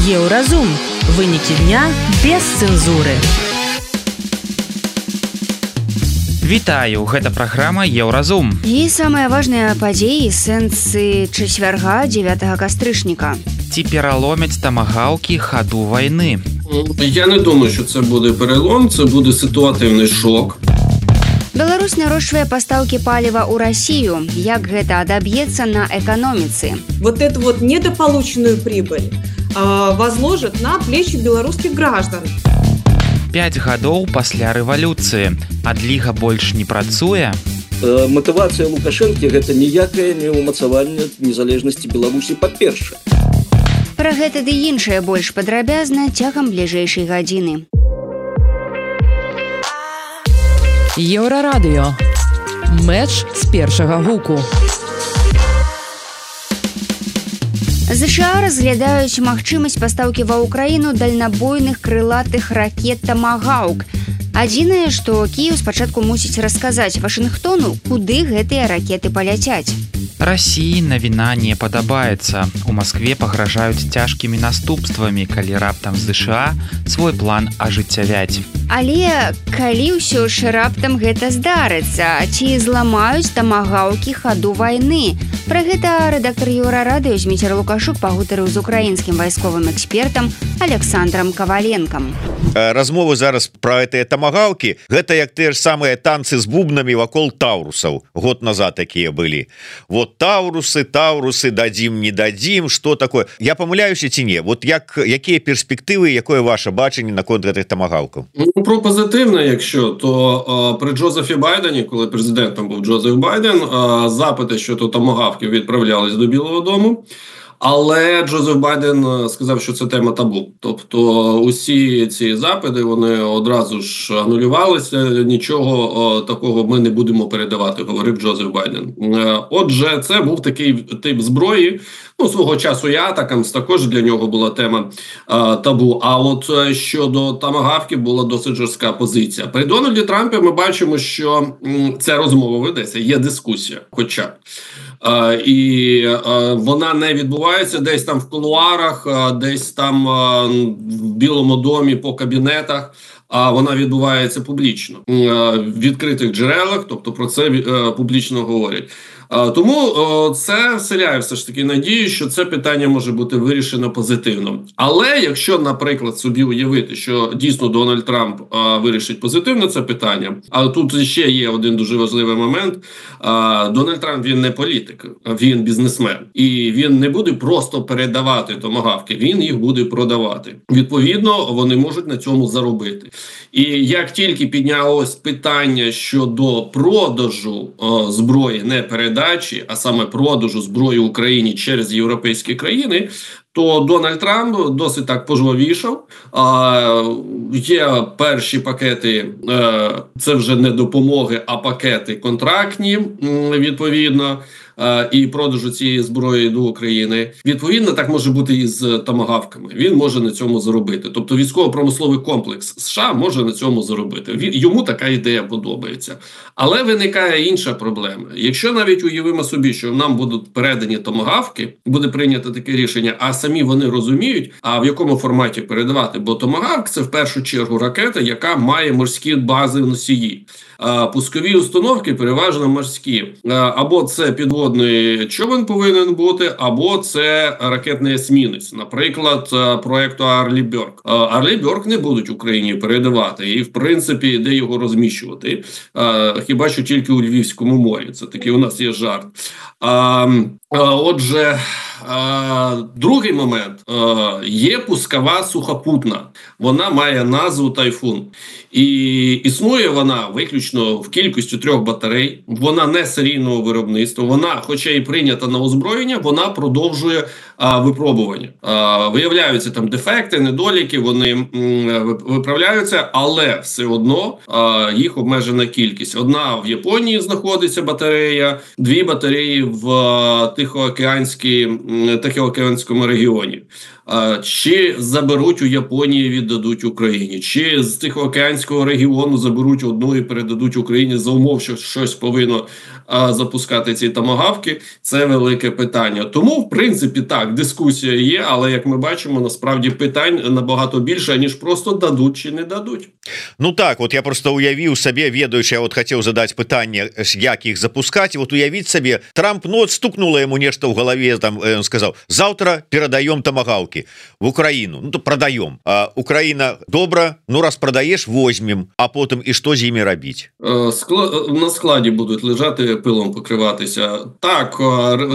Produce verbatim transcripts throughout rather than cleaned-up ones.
Еўразум. Вынікі дня без цэнзуры. Вітаю, гэта праграма Еўразум. І самыя важныя падзеі сэнсы чацвярга дзевятага кастрычніка. Ці пераломяць тамагаўкі хаду вайны? Я не думаю, що це буде перелом, це буде ситуативний шок. Беларусь нарощивает поставки палива у Россию. Як гэта адаб'ецца на экономице? Вот эту вот недополученную прибыль э, возложит на плечи белорусских граждан. Пяць гадоў пасля рэвалюцыі. Адліга больш не працуе? Э, матывацыя Лукашэнкі – гэта ніякае не ўмацаванне незалежнасці Беларусі па-першае. Пра гэта ды іншае больш падрабязна цягам бліжэйшай гадзіны. Еўрарадыё. Мэч з першага гуку. ЗША разглядаюць магчымасць пастаўкі ва ўкраіну дальнабойных крылатых ракет «Тамагаўк». Адзінае, што Кіеў спачатку мусіць расказаць Вашынгтону, куды гэтыя ракеты паляцяць. Расіі навіна не падабаецца. У Маскве пагражаюць цяжкімі наступствамі, калі раптам ЗША свой план ажыццявяць. Але калі ўсё ж раптам гэта здарыцца, ці зламаюць тамагаўкі хаду вайны? Пра гэта рэдактар Еўрарадыё Зміцер Лукашук пагутарыў з украінскім вайсковым экспертам Александрам Каваленкам. Размовы зараз пра гэтыя тамагаўкі, гэта як тыя ж самыя танцы з бубнамі вакол таурусаў. Год назад такія былі. Вот таурусы, таурусы, дадзім, не дадзім, што такое? Я памыляюся ці не? Вот як, якія перспектывы, якое ваше бачанне наконт гэтых тамагаўкаў? Ну, про позитивне, якщо, то а, при Джозефі Байдені, коли президентом був Джозеф Байден, а, запити щодо томагавків відправлялись до Білого дому. Але Джозеф Байден сказав, що це тема табу. Тобто усі ці запити, вони одразу ж анулювалися, нічого о, такого ми не будемо передавати, говорив Джозеф Байден. Е, отже, це був такий тип зброї. Ну, свого часу і атакамс також для нього була тема е, табу. А от щодо тамагавків була досить жорстка позиція. При Дональді Трампі ми бачимо, що м, ця розмова ведеться, є дискусія хоча б. Uh, і uh, вона не відбувається десь там в кулуарах, uh, десь там uh, в Білому домі по кабінетах, а uh, вона відбувається публічно, uh, в відкритих джерелах, тобто про це uh, публічно говорять. Uh, тому uh, це вселяє все ж таки надію, що це питання може бути вирішено позитивно. Але якщо, наприклад, собі уявити, що дійсно Дональд Трамп uh, вирішить позитивно це питання, а тут ще є один дуже важливий момент. Uh, Дональд Трамп, він не політик, він бізнесмен. І він не буде просто передавати томагавки, він їх буде продавати. Відповідно, вони можуть на цьому заробити. І як тільки піднялось питання щодо продажу uh, зброї, не передачі, а саме продажу зброї Україні через європейські країни, то Дональд Трамп досить так пожвавішав. А, є перші пакети, е, це вже не допомоги, а пакети контрактні, відповідно, е, і продажу цієї зброї до України. Відповідно, так може бути і з томагавками. Він може на цьому заробити. Тобто військово-промисловий комплекс США може на цьому заробити. Він, йому така ідея подобається. Але виникає інша проблема. Якщо навіть уявимо собі, що нам будуть передані томагавки, буде прийнято таке рішення, а самі вони розуміють, а в якому форматі передавати. Бо томагавк – це в першу чергу ракета, яка має морські бази носії. А пускові установки переважно морські. Або це підводний човен повинен бути, або це ракетний есмінець. Наприклад, проєкту Арлі Бьорк. Арлі Бьорк не будуть Україні передавати. І, в принципі, де його розміщувати? Хіба що тільки у Львівському морі. Це такий у нас є жарт. Отже, другий момент. Є пускова сухопутна. Вона має назву «Тайфун». І існує вона виключно в кількості трьох батарей. Вона не серійного виробництва. Вона, хоча і прийнята на озброєння, вона продовжує а, випробування. А, виявляються там дефекти, недоліки, вони м, виправляються, але все одно а, їх обмежена кількість. Одна в Японії знаходиться батарея, дві батареї в Тихоокеанській, Тихоокеанському регіоні. Чи заберуть у Японії, віддадуть Україні, чи з Тихоокеанського регіону заберуть одну і передадуть Україні за умов, що щось повинно а, запускати ці томагавки, це велике питання. Тому, в принципі, так, дискусія є, але, як ми бачимо, насправді питань набагато більше, ніж просто дадуть чи не дадуть. Ну так, от я просто уявіў сабе, ведаючи, я от хацеў задаць пытанне, як іх запускаць, вот уявіць сабе, Трамп, ну, от стукнуло яму нешта ў галаве, там, он сказаў, завтра перадаём томагавки в Украину, ну, то продаем. А Украина, добра, ну, раз продаешь, возьмем, а потом і що з ними робити? Скла... На складі будуть лежати, пилом покриватися. Так,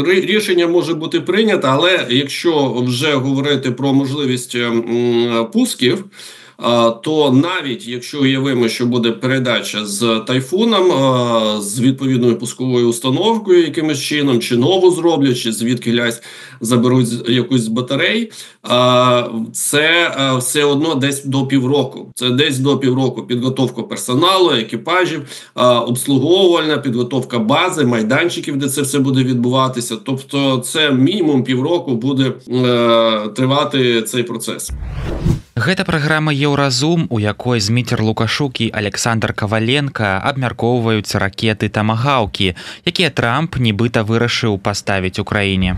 рішення може бути прийнято, але якщо вже говорити про можливість пусків, то навіть якщо уявимо, що буде передача з Тайфуном, з відповідною пусковою установкою якимось чином, чи нову зроблять, чи звідки лясь заберуть якусь з батарей, це все одно десь до півроку. Це десь до півроку підготовка персоналу, екіпажів, обслуговувальна, підготовка бази, майданчиків, де це все буде відбуватися. Тобто це мінімум півроку буде тривати цей процес. Гэта праграма Еўразум, у якой Зміцер Лукашук і Александр Каваленко абмяркоўваюць ракеты тамагаўкі, якія Трамп нібыта вырашыў паставіць Украіне.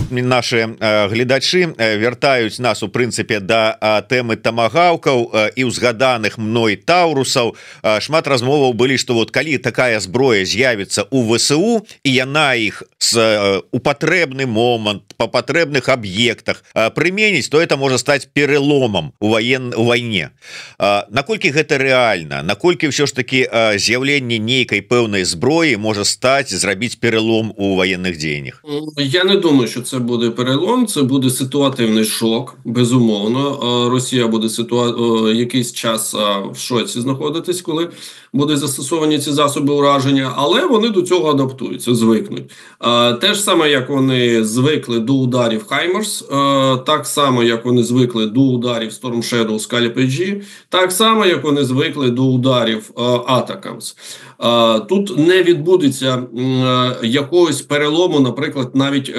Нашы э, гледачы э, вяртаюць нас у прынцыпе да э, тэмы тамагаўкаў э, і ўзгаданых мной таурусаў. Э, шмат размоваў былі, што вот калі такая зброя з'явіцца у ВСУ і яна іх з э, у патрэбны момант па патрэбных аб'ектах э, прыменіць, то это можа стаць переломам у воен у вайне. А, наколькі гэта рэальна, наколькі ўсё ж таки а, з'яўленне нейкай пэўнай зброі можа стаць зрабіць перелом у военных дзеяннях? Я не думаю, що це буде перелом, це буде ситуативний шок, безумовно. Росія буде ситуа... якийсь час в шоці знаходитись, коли будуть застосовані ці засоби ураження, але вони до цього адаптуються, звикнуть. Те ж саме, як вони звикли до ударів Хаймерс, так само, як вони звикли до ударів Storm Shadow, Scalp ей джі, так само, як вони звикли до ударів Атакамс. Тут не відбудеться якогось перелому, наприклад, навіть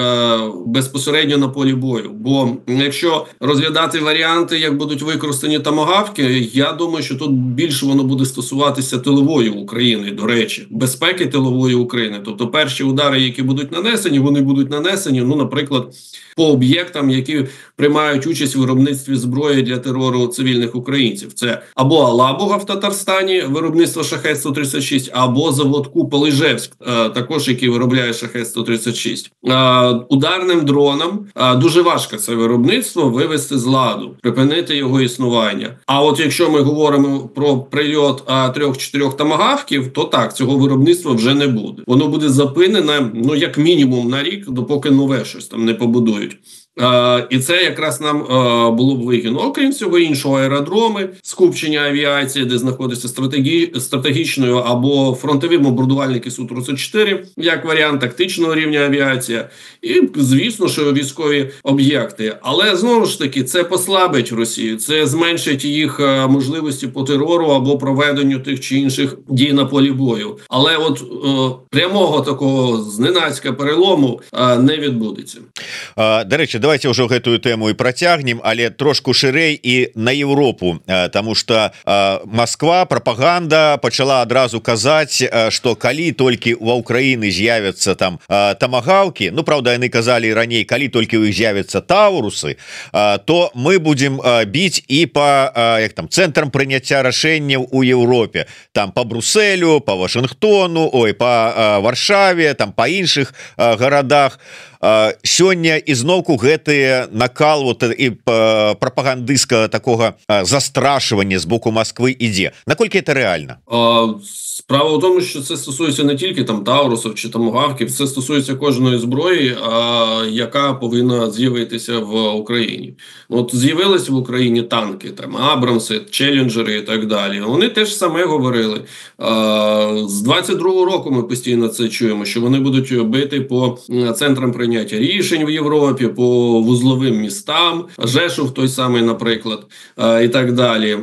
безпосередньо на полі бою. Бо якщо розглядати варіанти, як будуть використані томагавки, я думаю, що тут більше воно буде стосуватися тилової України, до речі, безпеки тилової України. Тобто перші удари, які будуть нанесені, вони будуть нанесені, ну, наприклад, по об'єктам, які приймають участь в виробництві зброї для терору цивільних українців. Це або Алабуга в Татарстані, виробництво Шахед сто тридцять шість, або завод Купол Іжевськ, також який виробляє Шахед сто тридцять шість. Ударним дронам дуже важко це виробництво вивести з ладу, припинити його існування. А от якщо ми говоримо про прильот трьох-чотирьох томагавків, то так, цього виробництва вже не буде. Воно буде зупинене, ну, як мінімум на рік, допоки нове щось там не побудують. Uh, і це якраз нам uh, було б вигідно. Окрім всього іншого, аеродроми, скупчення авіації, де знаходяться стратегі... стратегічною або фронтові бомбардувальники Су тридцять чотири, як варіант тактичного рівня авіація. І, звісно, що військові об'єкти. Але, знову ж таки, це послабить Росію, це зменшить їх uh, можливості по терору або проведенню тих чи інших дій на полі бою. Але от uh, прямого такого зненацька перелому uh, не відбудеться. Uh, до речі, давайте ўжо гэтую тэму і працягнем, але трошку шырэй і на Еўропу, таму што Масква, прапаганда пачала адразу казаць, што калі толькі ва Ўкраіны з'явяцца там тамагаўкі, ну, праўда, яны казалі раней, калі толькі ў іх з'явяцца таурусы, то мы будзем біць і па як там цэнтрам прыняцця рашэнняў у Еўропе, там па Брусэлю, па Вашынгтону, ой, па Варшаве, там па іншых гарадах. Сёння ізноўку гэтыя накал вот, і прапагандыска такога застрашвання з боку Москвы ідзе. Наколькі это рэальна? Справа в тому, що це стосується не тільки там таурусів чи томагавків, це стосується кожної зброї, а, яка повинна з'явитися в Україні. От з'явилися в Україні танки, там Абрамси, Челленджери і так далі. Вони теж саме говорили. А, з двадцять другого року ми постійно це чуємо, що вони будуть бити по центрам прийняття прийняття рішень в Європі, по вузловим містам, Жешув той самий, наприклад, і так далі.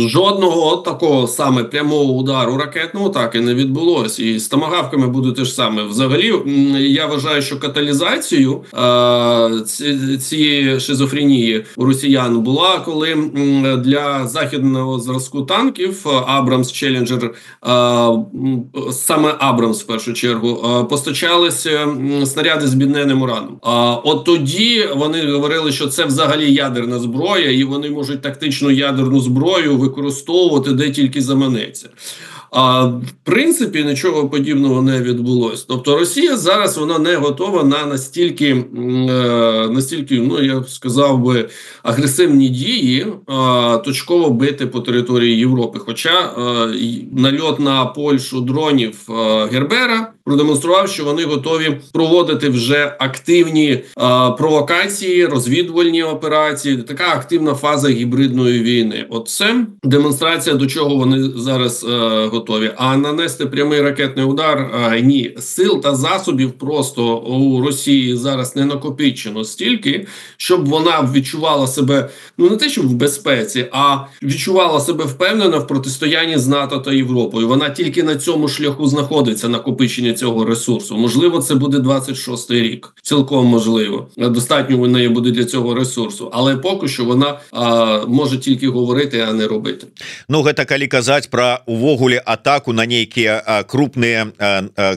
Жодного от такого саме прямого удару ракетного так і не відбулося. І з томагавками буде те ж саме. Взагалі, я вважаю, що каталізацією цієї шизофренії у росіян була, коли для західного зразку танків Абрамс, Челленджер, саме Абрамс в першу чергу, постачалися снаряди з бідненним ураном. От тоді вони говорили, що це взагалі ядерна зброя, і вони можуть тактичну ядерну зброю використовувати де тільки заманеться. А в принципі нічого подібного не відбулося. Тобто Росія зараз вона не готова на настільки, е, настільки, ну я б сказав би, агресивні дії, е, точково бити по території Європи. Хоча е, нальот на Польщу дронів е, Гербера продемонстрував, що вони готові проводити вже активні е, провокації, розвідувальні операції, така активна фаза гібридної війни. Оце демонстрація, до чого вони зараз е, готові. А нанести прямий ракетний удар а, – ні. Сил та засобів просто у Росії зараз не накопичено стільки, щоб вона відчувала себе, ну не те, що в безпеці, а відчувала себе впевнено в протистоянні з НАТО та Європою. Вона тільки на цьому шляху знаходиться, накопичення цього ресурсу. Можливо, це буде двадцять шостий рік. Цілком можливо. Достатньо у неї буде для цього ресурсу. Але поки що вона а, може тільки говорити, а не робити. Ну, гэта калі казаць пра увогуле атаку на нейкія крупныя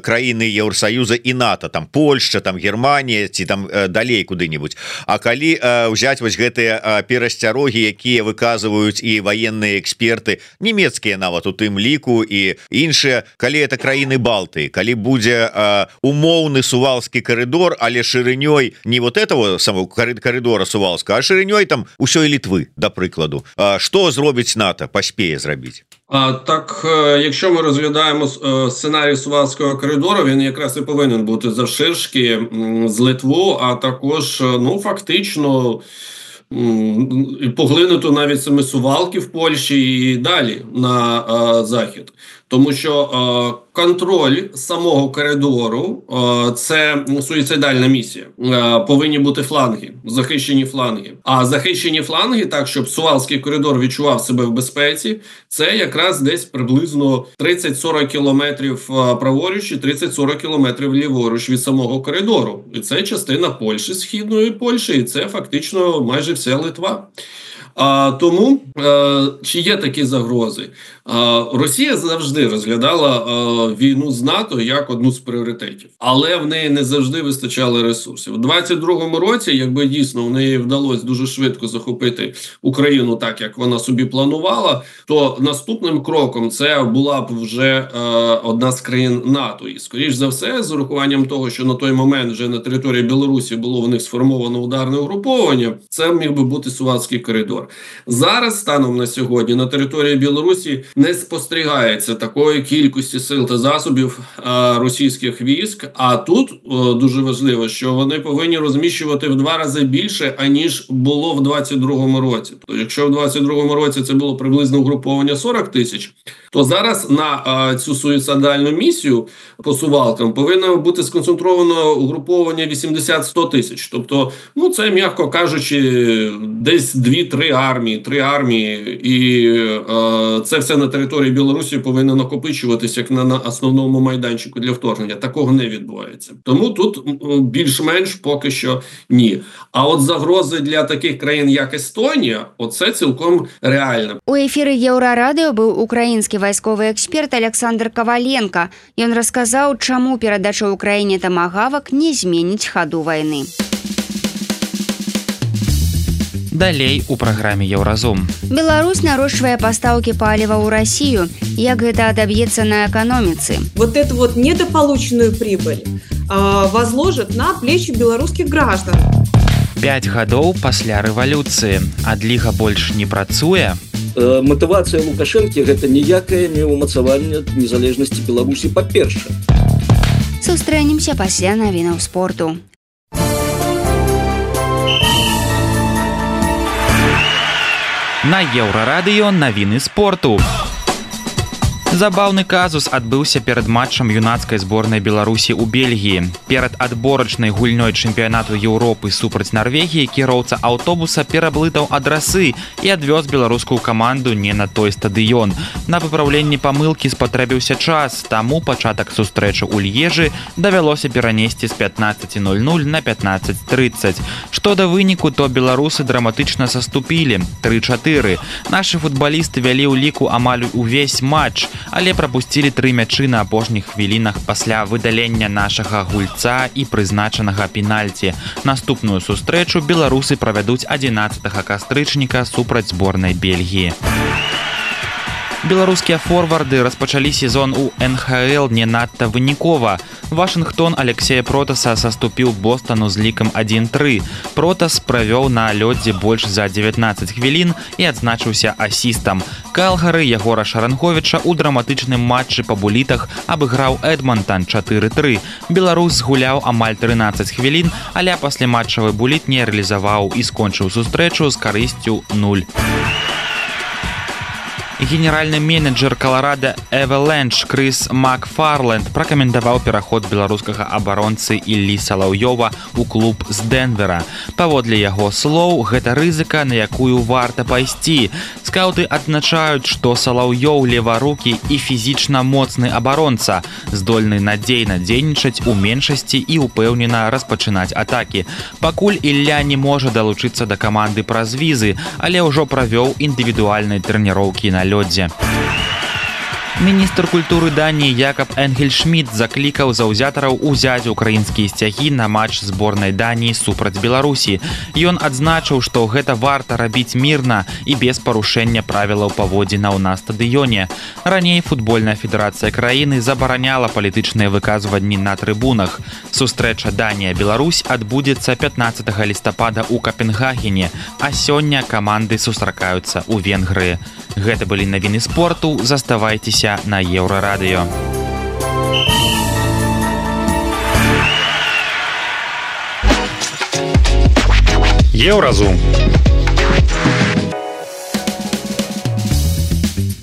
краіны Еўросаюза і НАТО, там Польшча, там Германія ці там далей куды-нибудь. А калі ўзяць вось гэтыя перасцярогі, якія выказваюць і ваенныя эксперты, нямецкія нават у тым ліку і іншыя, калі это краіны Балтыі, калі будзе умоўны сувалскі коридор, але шырынёй не вот этого самого коридора сувалска, а шырынёй там усёй Літвы, да прыкладу. Што зробіць НАТО, паспее зрабіць? А, так, якщо ми розглядаємо сценарій Сувалського коридору, він якраз і повинен бути завширшки з Литву, а також, ну, фактично поглинути навіть саме Сувалки в Польщі і далі на а, захід. Тому що е, контроль самого коридору е, – це суїцидальна місія. Е, повинні бути фланги, захищені фланги. А захищені фланги, так, щоб Сувалський коридор відчував себе в безпеці, це якраз десь приблизно тридцять-сорок кілометрів праворуч і тридцять-сорок кілометрів ліворуч від самого коридору. І це частина Польщі, східної Польщі, і це фактично майже вся Литва. А, тому, а, чи є такі загрози? А, Росія завжди розглядала а, війну з НАТО як одну з пріоритетів. Але в неї не завжди вистачало ресурсів. У двадцять другому році, якби дійсно в неї вдалося дуже швидко захопити Україну так, як вона собі планувала, то наступним кроком це була б вже а, одна з країн НАТО. І, скоріш за все, з урахуванням того, що на той момент вже на території Білорусі було в них сформовано ударне угруповання, це міг би бути Сувалський коридор. Зараз, станом на сьогодні, на території Білорусі не спостерігається такої кількості сил та засобів а, російських військ, а тут о, дуже важливо, що вони повинні розміщувати в два рази більше, аніж було в двадцять другому році. Тобто, якщо в двадцять другому році це було приблизно угруповання сорок тисяч, то зараз на а, цю суїцидальну місію по Сувалкам повинно бути сконцентровано угруповання вісімдесят-сто тисяч. Тобто, ну це, м'яко кажучи, десь дві-три армії, три армії, і е, це все на території Білорусі повинно накопичуватися як на, на основному майданчику для вторгнення. Такого не відбувається. Тому тут більш-менш поки що ні. А от загрози для таких країн, як Естонія, оце цілком реально. У ефірі Еўрарадыё быў украінскі вайсковы эксперт Александр Коваленко. Ён расказаў, чаму перадача Украіне тамагавак не зменіць хаду вайны. Далей у праграме Еўразум. Беларусь нарошчвае пастаўкі паліва ў Расію. Як гэта адаб'ецца на эканоміцы? Вот эту вот недополученную прибыль э, возложат на плечи белорусских граждан. Пяць гадоў пасля рэвалюцыі. Адліга больш не працуе? Э, матывацыя Лукашэнкі гэта ніякае не ўмацаванне незалежнасці Беларусі па-першае. Сустрэнемся пасля навінаў спорту. На Еўрарадыё навіны спорту. Забаўны казус адбыўся перад матчам юнацкай зборнай Беларусі ў Бельгіі. Перад адборачнай гульнёй чэмпіянату Еўропы супраць Нарвегіі кіроўца аўтобуса пераблытаў адрасы і адвёз беларускую каманду не на той стадыён. На выпраўленне памылкі спатрэбіўся час, таму пачатак сустрэчы ў Льежы давялося перанесці з пятнаццаць нуль нуль на пятнаццаць трыццаць. Што да выніку, то беларусы драматычна саступілі тры чатыры. Нашы футбалісты вялі ў ліку амаль увесь матч, але прапусцілі тры мячы на апошніх хвілінах пасля выдалення нашага гульца і прызначанага пенальці. Наступную сустрэчу беларусы правядуць адзінаццатага кастрычніка супраць зборнай Бельгіі. Беларускія форварды распачалі сезон у эн ха эл не надта вынікова. Вашынгтон Алексея Протаса саступіў Бостану з лікам адзін тры. Протас правёў на лёдзе больш за дзевятнаццаць хвілін і адзначыўся асістам. Калгары Ягора Шаранговіча ў драматычным матчы па булітах абыграў Эдмонтан чатыры тры. Беларус згуляў амаль трынаццаць хвілін, але пасляматчавы буліт не рэалізаваў і скончыў сустрэчу з карысцю нуль. Генеральны менеджер Колорадо Эваленч Крыс Макфарленд пракаментаваў пераход беларускага абаронцы Іллі Салаўёва ў клуб з Дэнвера. Паводле яго слоў, гэта рызыка, на якую варта пайсці. Скаўты адзначаюць, што Салаўёў леварукі і фізічна моцны абаронца, здольны надзейна дзейнічаць у меншасці і ўпэўнена распачынаць атакі. Пакуль Ілля не можа далучыцца да каманды праз візы, але ўжо правёў індывідуальныя трэніроўкі на лёдзе. Міністр культуры Даніі Якаб Энгельшмідт заклікаў заўзятараў узяць украінскія сцягі на матч зборнай Даніі супраць Беларусі. Ён адзначыў, што гэта варта рабіць мірна і без парушэння правілаў паводзінаў на стадыёне. Раней футбольная федэрацыя краіны забараняла палітычныя выказванні на трыбунах. Сустрэча Данія-Беларусь адбудзецца пятнаццатага лістапада ў Капенгагене, а сёння каманды сустракаюцца ў Венгрыі. Гэта былі навіны спорту, заставайцеся на Еўрарадыё. Еўразум.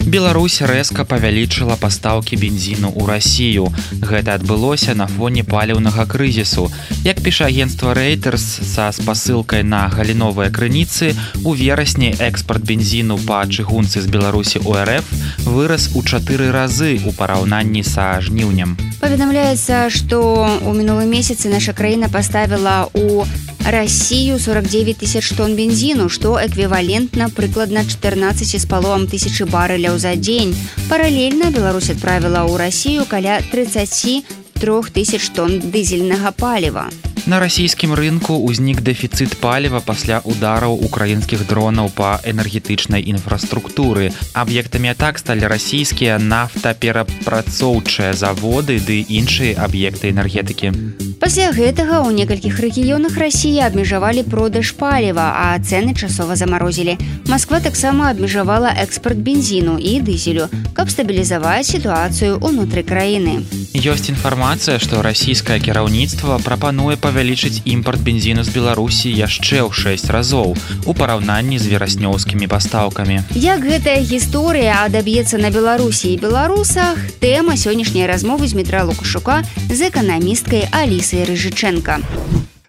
Беларусь рэзка павялічыла пастаўкі бензіну ў Расію. Гэта адбылося на фоне паліўнага крызісу. Як піша агенцтва Reuters са спасылкай на галіновыя крыніцы, у верасні экспарт бензіну па чыгунцы з Беларусі ў эр эф вырас у чатыры разы ў параўнанні са жніўнем. Паведамляецца, што ў мінулым месяцы наша краіна паставіла ў Россию сорок девять тысяч тонн бензину, что эквивалентно прыкладна четырнадцать с половиной тысячи барреляў за день. Параллельно Беларусь отправила ў Россию каля тридцать три тысяч тонн дызельнага паліва. На расійскім рынку ўзнік дэфіцыт паліва пасля удараў украінскіх дронаў па энергетычнай інфраструктуры. Аб'ектамі атак сталі расійскія нафтаперапрацоўчыя заводы ды іншыя аб'екты энергетыкі. Пасля гэтага ў некалькіх рэгіёнах Расіі абмежавалі продаж паліва, а цэны часова замарозілі. Масква таксама абмежавала экспарт бензіну і дызелю, каб стабілізаваць сітуацыю ўнутры краіны. Ёсць інфармацыя, што расійскае кіраўніцтва прапануе павялічыць імпарт бензіну з Беларусі яшчэ ў шэсць разоў у параўнанні з вераснёўскімі пастаўкамі. Як гэтая гісторыя адаб'ецца на Беларусі і беларусах, тэма сённяшняй размовы з Дмітра Лукашука з эканамісткай Алісай Рыжычэнка.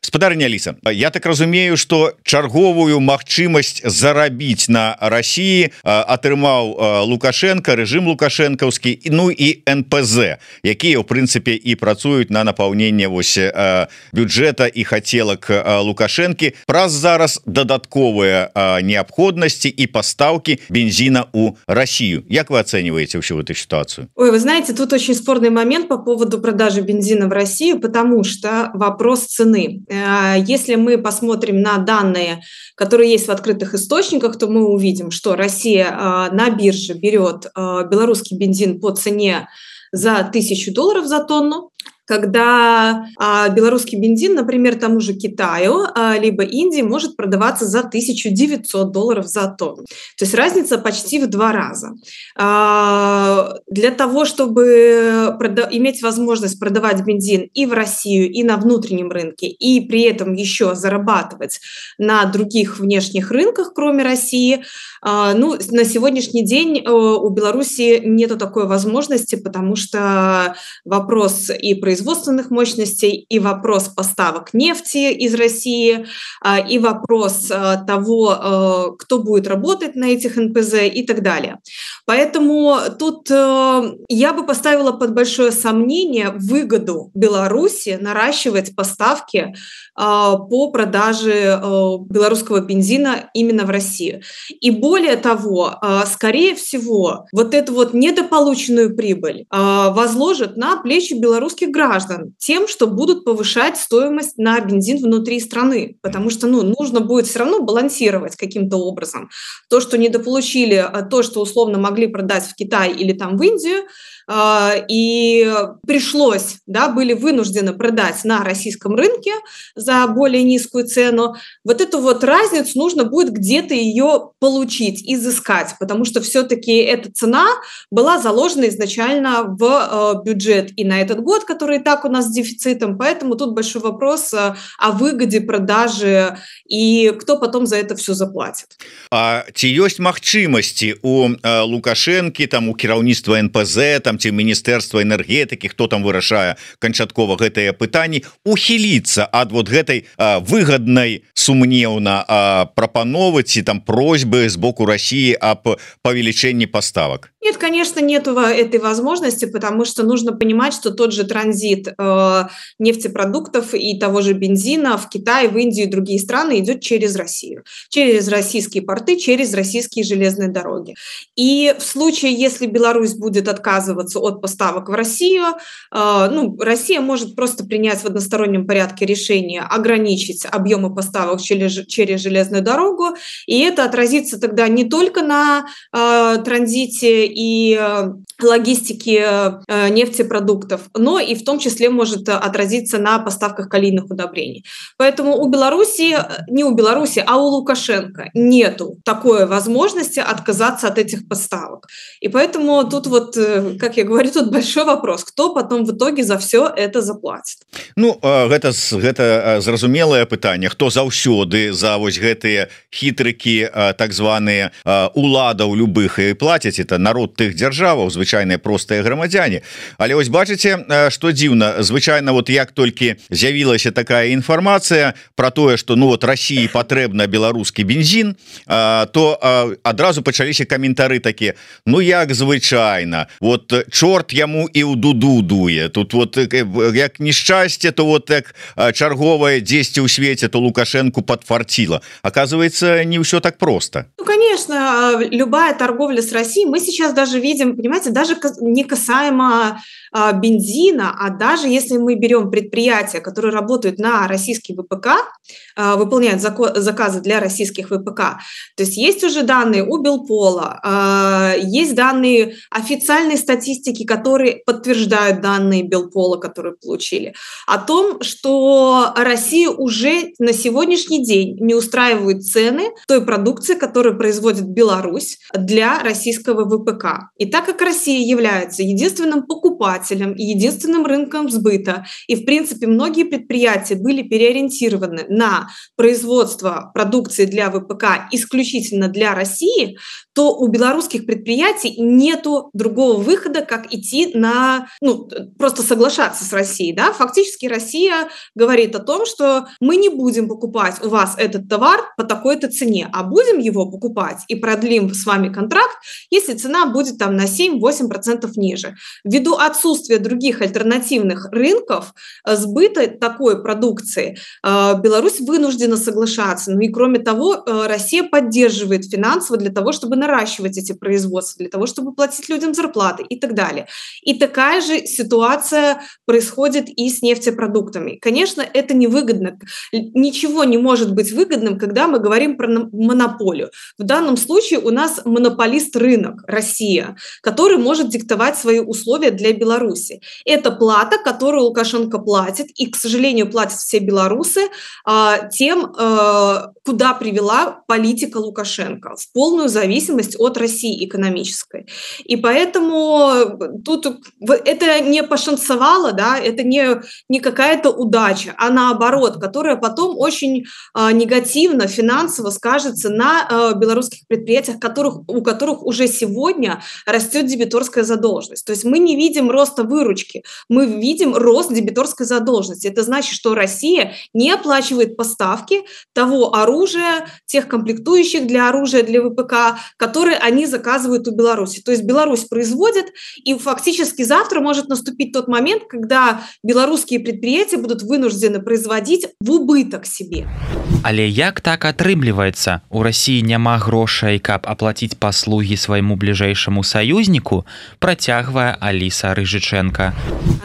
Спадарня Аліса, я так разумею, што чарговую магчымасць зарабіць на Расіі атрымаў Лукашенко, рэжым лукашэнкаўскі, ну і эн пэ зэ, якія ў прынцыпе і працуюць на напаўненне вось бюджэта і хацелак Лукашэнкі праз зараз дадатковыя неабходнасці і пастаўкі бензина у Россию. Як вы оцениваете всю эту ситуацию? Ой, вы знаете, тут очень спорный момент по поводу продажи бензина в Россию, потому что вопрос цены. Если мы посмотрим на данные, которые есть в открытых источниках, то мы увидим, что Россия на бирже берет белорусский бензин по цене за тысячу долларов за тонну, когда а, белорусский бензин, например, тому же Китаю, а, либо Индии может продаваться за тысячу девятьсот долларов за тонну. То есть разница почти в два раза. А, для того, чтобы прода- иметь возможность продавать бензин и в Россию, и на внутреннем рынке, и при этом еще зарабатывать на других внешних рынках, кроме России, а, ну, на сегодняшний день а, у Беларуси нету такой возможности, потому что вопрос и производственных мощностей, и вопрос поставок нефти из России, а, и вопрос а, того, а, кто будет работать на этих эн пэ зэ и так далее. Поэтому тут а, я бы поставила под большое сомнение выгоду Беларуси наращивать поставки а, по продаже а, белорусского бензина именно в Россию. И более того, а, скорее всего, вот эту вот недополученную прибыль а, возложат на плечи белорусских граждан тем, что будут повышать стоимость на бензин внутри страны, потому что ну, нужно будет все равно балансировать каким-то образом. То, что недополучили, то, что условно могли продать в Китай или там в Индию, и пришлось, да, были вынуждены продать на российском рынке за более низкую цену, вот эту вот разницу нужно будет где-то ее получить, изыскать, потому что все-таки эта цена была заложена изначально в бюджет и на этот год, который и так у нас с дефицитом, поэтому тут большой вопрос о выгоде продажи и кто потом за это все заплатит. А ці ёсць магчымасці у Лукашэнкі, там у кіраўніцтва эн пэ зэ, там ці міністэрства энергетыкі, хто там вырашае канчаткова гэтыя пытанні, ухіліцца ад вот гэтай а, выгаднай сумнеўна а, прапановы ці там просьбы з боку России об павелічэнні поставок? Нет, конечно, нет этой возможности, потому что нужно понимать, что тот же транзит э, нефтепродуктов и того же бензина в Китай, в Индию и другие страны идет через Россию, через российские порты, через российские железные дороги. И в случае, если Беларусь будет отказываться от поставок в Россию, э, ну, Россия может просто принять в одностороннем порядке решение ограничить объемы поставок через, через железную дорогу, и это отразится тогда не только на э, транзите и логистики нефтепродуктов, но и в том числе может отразиться на поставках калийных удобрений. Поэтому у Беларуси, не у Беларуси, а у Лукашенко нету такой возможности отказаться от этих поставок. И поэтому тут вот, как я говорю, тут большой вопрос, кто потом в итоге за все это заплатит. Ну, гэта, гэта зразумелае пытанне, хто заўсёды за вось гэтыя хітрыкі, так званыя уладаў любых і плацяць, это народ тых дзяржаваў, звычайныя простыя грамадзяне. Але вось бачыце, што дзіўна, звычайна вот як толькі з'явілася такая інфармацыя про тое, што ну вот России патрэбна беларускі бензин, то адразу пачаліся каментары такія: ну як звычайна, вот чорт яму і ў дуду дуе, тут вот як нешчасце, то вот як чарговае дзесьці ў свеце, то Лукашенку подфартило. Оказывается, не все так просто. Ну, конечно, любая торговля с Россией, мы сейчас даже видим, понимаете, даже не касаемо а, бензина, а даже если мы берем предприятия, которые работают на российский вэ пэ ка, а, выполняют зако- заказы для российских вэ пэ ка, то есть есть уже данные у Белпола, а, есть данные официальной статистики, которые подтверждают данные Белпола, которые получили, о том, что Россия уже на сегодняшний день не устраивает цены той продукции, которую производит Беларусь для российского вэ пэ ка. И так как Россия является единственным покупателем и единственным рынком сбыта, и в принципе многие предприятия были переориентированы на производство продукции для вэ пэ ка исключительно для России, то у белорусских предприятий нету другого выхода, как идти на, ну, просто соглашаться с Россией, да? Фактически Россия говорит о том, что мы не будем покупать у вас этот товар по такой-то цене, а будем его покупать и продлим с вами контракт, если цена будет там на семь-восемь процентов ниже. Ввиду отсутствия других альтернативных рынков сбыта такой продукции, Беларусь вынуждена соглашаться. Ну и кроме того, Россия поддерживает финансово для того, чтобы наращивать эти производства, для того, чтобы платить людям зарплаты и так далее. так далее. И такая же ситуация происходит и с нефтепродуктами. Конечно, это невыгодно. Ничего не может быть выгодным, когда мы говорим про монополию. В данном случае у нас монополист рынок, Россия, который может диктовать свои условия для Беларуси. Это плата, которую Лукашенко платит, и, к сожалению, платят все белорусы а, тем, а, куда привела политика Лукашенко, в полную зависимость от России экономической. И поэтому тут это не пошансовало, да, это не, не какая-то удача, а наоборот, которая потом очень а, негативно, финансово скажется на а, белорусских предприятиях, которых, у которых уже сегодня растет дебиторская задолженность. То есть мы не видим роста выручки, мы видим рост дебиторской задолженности. Это значит, что Россия не оплачивает поставки того оружия, тех комплектующих для оружия, для ВПК, которые они заказывают у Беларуси. То есть Беларусь производит, и фактически завтра может наступить тот момент, когда белорусские предприятия будут вынуждены производить в убыток себе. Але як так атрымліваецца? У России няма грошай, каб аплаціць паслугі свайму бліжэйшаму саюзніку, працягвае Алиса Рыжиченко.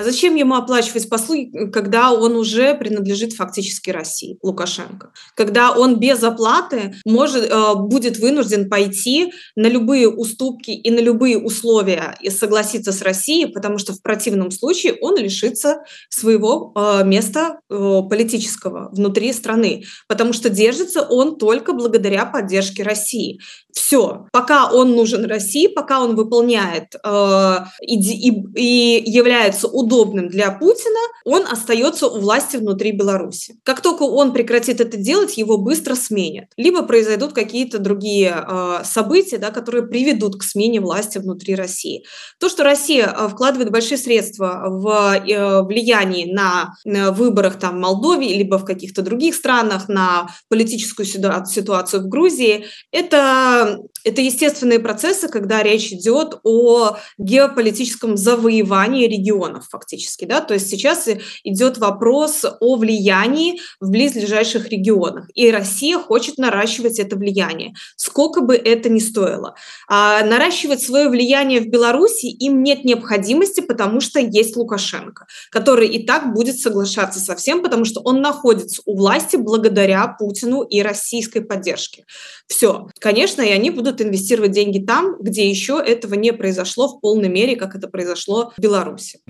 А зачем ему оплачивать послуги, когда он уже принадлежит фактически России, Лукашенко? Когда он без оплаты может, э, будет вынужден пойти на любые уступки и на любые условия и согласиться с Россией, потому что в противном случае он лишится своего э, места э, политического внутри страны, потому что держится он только благодаря поддержке России. Все. Пока он нужен России, пока он выполняет э, и, и, и является удобным для Путина, он остается у власти внутри Беларуси. Как только он прекратит это делать, его быстро сменят. Либо произойдут какие-то другие э, события, да, которые приведут к смене власти внутри России. То, что Россия э, вкладывает большие средства в э, влияние на, на выборах там, в Молдове, либо в каких-то других странах, на политическую ситуацию в Грузии, это, это естественные процессы, когда речь идет о геополитическом завоевании регионов фактически. Да? То есть сейчас идет вопрос о влиянии в близлежащих регионах. И Россия хочет наращивать это влияние, сколько бы это ни стоило. А наращивать свое влияние в Беларуси им нет необходимости, потому что есть Лукашенко, который и так будет соглашаться со всем, потому что он находится у власти благодаря Путину и российской поддержке. Все. Конечно, и они будут инвестировать деньги там, где еще этого не произошло в полной мере, как это произошло в Беларуси.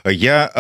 Я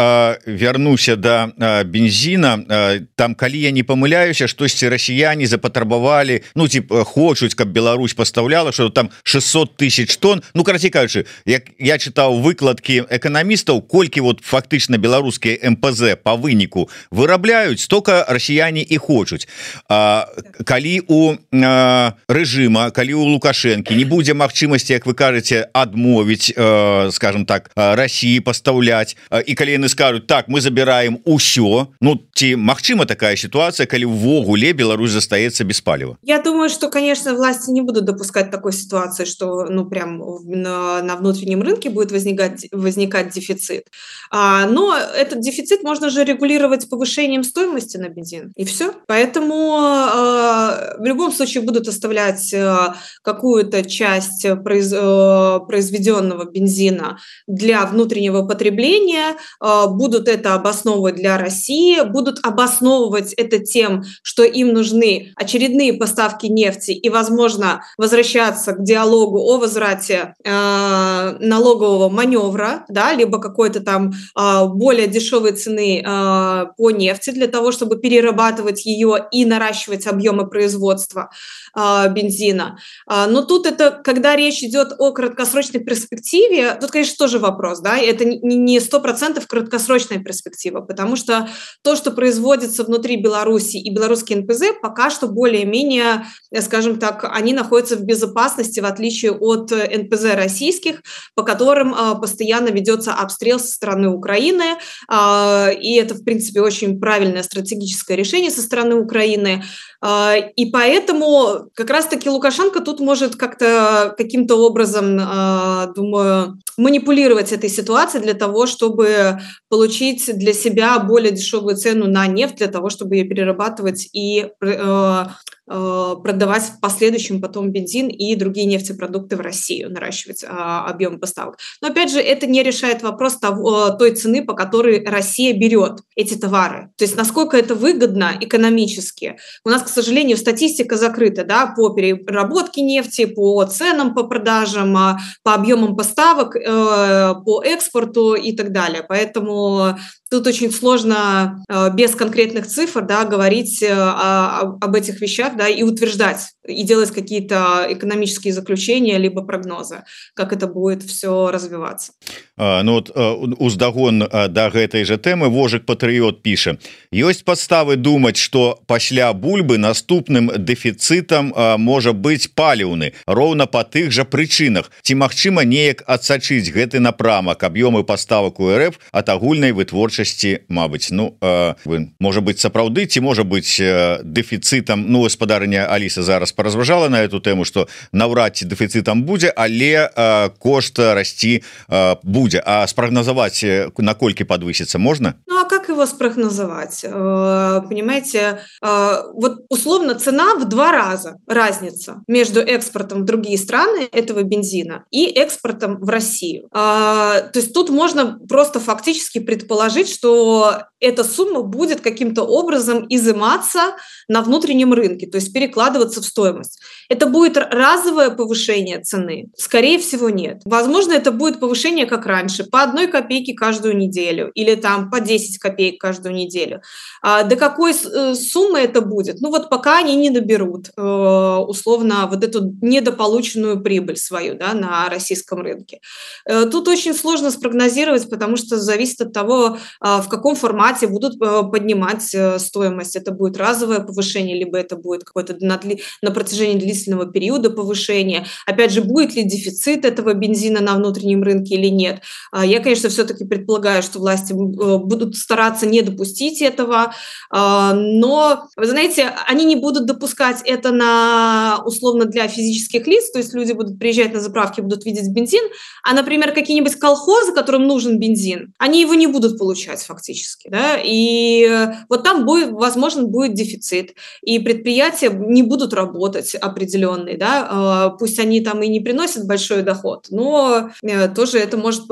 э, вернуся до э, бензина. Э, там, калі я не помыляюся, штосьці расіяне запатрабавалі, ну, типа, хочуць, каб Беларусь поставляла, что там шестьсот тысяч тонн. Ну, карацей кажучы, як я чытаў выкладкі эканамістаў, колькі вот фактычна беларускія эм пэ зэ по выніку вырабляюць, столько расіяне і хочуць. А, калі у а, рэжыма, калі у Лукашэнкі не будзе магчымасці, як вы кажаце, адмовіць, а, скажем так, России пастаўляць, і калі яны скажуць, так, мы забираем усё, ну, ці магчыма такая ситуация, калі ўвогуле Беларусь застаецца без паліва? Я думаю, что, конечно, власти не будут допускать такой ситуации, что, ну, прям на, на внутреннем рынке будет возникать, возникать дефицит. А, но этот дефицит можно же регулировать повышением стоимости на бензин, и все. Поэтому а, в любом случае будут оставлять а, какую-то часть произ, а, произведенного бензина для внутреннего потребления, а, будут это обосновывать для России, будут обосновывать это тем, что им нужны очередные поставки нефти и, возможно, возвращаться к диалогу о возврате э, налогового маневра, да, либо какой-то там э, более дешевой цены э, по нефти для того, чтобы перерабатывать ее и наращивать объемы производства э, бензина. Э, но тут это, когда речь идет о краткосрочной перспективе, тут, конечно, тоже вопрос, да, это не сто процентов краткосрочная перспектива, потому что то, что производится внутри Беларуси и белорусские эн пэ зэ, пока что более-менее, скажем так, они находятся в безопасности, в отличие от эн пэ зэ российских, по которым а, постоянно ведется обстрел со стороны Украины, а, и это, в принципе, очень правильное стратегическое решение со стороны Украины, а, и поэтому как раз-таки Лукашенко тут может как-то каким-то образом, а, думаю, манипулировать этой ситуацией для того, чтобы получить для себя более дешевую цену на нефть, для того, чтобы ее перерабатывать и э, продавать в последующем потом бензин и другие нефтепродукты в Россию, наращивать объем поставок. Но опять же, это не решает вопрос того, той цены, по которой Россия берет эти товары. То есть насколько это выгодно экономически. У нас, к сожалению, статистика закрыта, да, по переработке нефти, по ценам по продажам, по объемам поставок, по экспорту и так далее. Поэтому тут очень сложно без конкретных цифр, да, говорить о, об этих вещах, да, и утверждать, и делать какие-то экономические заключения либо прогнозы, как это будет все развиваться. А, ну вот уздагон да гэтай же тэмы Вожык Патрыёт піша: ёсць падставы думаць, што пасля бульбы наступным дэфіцытам можа быць паліўны роўна па тых жа прычынах. Ці магчыма неяк адсачыць гэты напрамак аб'ёмы паставак у РФ ад агульнай вытворчасці, мабыць, ну э, можа быць сапраўды, ці можа быць э, дэфіцытам. Ну, гаспадарыня Аліса зараз паразважала на эту тэму, што наўрад ці дэфіцытам будзе, але э, кошт расці э, будзе. А спрогнозовать, накольки подвысится, можно? Ну, а как его спрогнозовать? Понимаете, вот условно цена в два раза разница между экспортом в другие страны этого бензина и экспортом в Россию. То есть тут можно просто фактически предположить, что эта сумма будет каким-то образом изыматься на внутреннем рынке, то есть перекладываться в стоимость. Это будет разовое повышение цены? Скорее всего, нет. Возможно, это будет повышение как раньше, по одной копейке каждую неделю или там по десять копеек каждую неделю. А до какой суммы это будет? Ну вот пока они не наберут условно вот эту недополученную прибыль свою, да, на российском рынке. Тут очень сложно спрогнозировать, потому что зависит от того, в каком формате будут поднимать стоимость. Это будет разовое повышение, либо это будет какое-то на, на протяжении длительного периода повышение. Опять же, будет ли дефицит этого бензина на внутреннем рынке или нет. Я, конечно, все-таки предполагаю, что власти будут стараться не допустить этого, но, вы знаете, они не будут допускать это на, условно, для физических лиц, то есть люди будут приезжать на заправки, будут видеть бензин, а, например, какие-нибудь колхозы, которым нужен бензин, они его не будут получать фактически, да, и вот там будет, возможно, будет дефицит, и предприятия не будут работать определенные, да, пусть они там и не приносят большой доход, но тоже это может,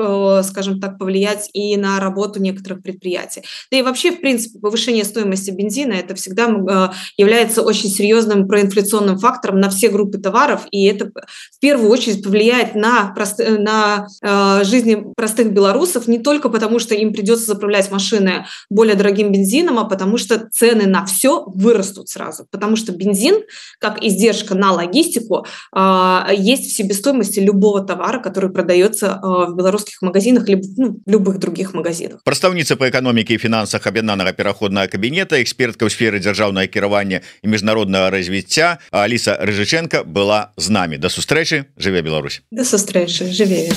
скажем так, повлиять и на работу некоторых предприятий. Да и вообще, в принципе, повышение стоимости бензина это всегда является очень серьезным проинфляционным фактором на все группы товаров, и это в первую очередь повлияет на, прост... на э, жизни простых белорусов не только потому, что им придется заправлять машины более дорогим бензином, а потому что цены на все вырастут сразу, потому что бензин, как издержка на логистику, э, есть в себестоимости любого товара, который продается э, в белорусских магазинах либо ну, в любых других магазинах. Прадстаўніца па эканоміке і фінансах аб'яднанага пераходнага кабінета, экспертка ў сферы дзяржаўнага кіравання і міжнароднага развіцця Аліса Рыжыченко была з намі. Да сустрэчы, жыве Беларусь. Да сустрэчы, жыве.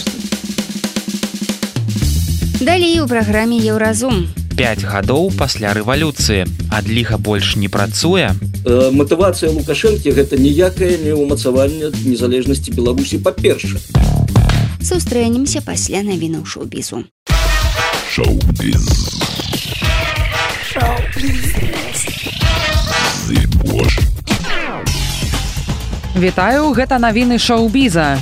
Далей у праграме Еўразум. Пяць гадоў пасля рэвалюцыі. Адліга больш не працуе. Э, матывацыя Лукашэнкі гэта ніякае не ўмацаванне незалежнасці Беларусі па-першае. Сустрэнемся пасля навінаў шоу-бізу. Шоу-біз. Вітаю, гэта навіны шоу-біза.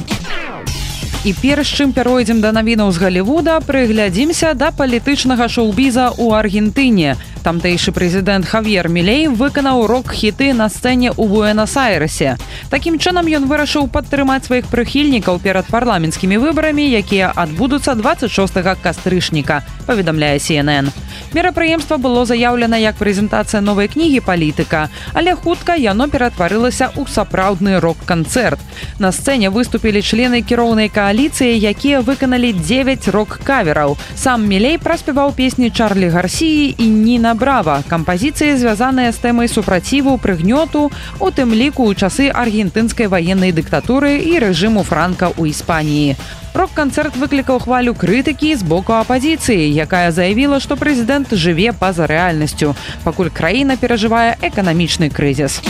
І перш чым перайдзем да навінаў з Галівуда, прыглядзімся да палітычнага шоу-біза ў Аргентыне. Тамтэйшы прэзідэнт Хавьер Мілей выканаў рок-хіты на сцэне ў Буэнас-Айрэсе. Такім чынам ён вырашыў падтрымаць сваіх прыхільнікаў перад парламенцкімі выбарамі, якія адбудуцца дваццаць шостага кастрычніка, паведамляе Си Эн Эн. Мерапрыемства было заяўлена як прэзентацыя новай кнігі палітыка, але хутка яно ператварылася ў сапраўдны рок-канцэрт. На сцэне выступілі члены кіроўнай кааліцыі, якія выканалі дзевяць рок-кавераў. Сам Мілей праспяваў песні Чарлі Гарсіі і Ніна Брава, кампазіцыі, звязаныя з тэмай супраціву, прыгнёту, у тым ліку ў часы аргентынскай ваеннай дыктатуры і рэжыму Франка ў Іспаніі. Рок-канцэрт выклікаў хвалю крытыкі з боку апазіцыі, якая заявіла, што прэзідэнт жыве па-за рэальнасцю, пакуль краіна перажывае эканамічны крызіс.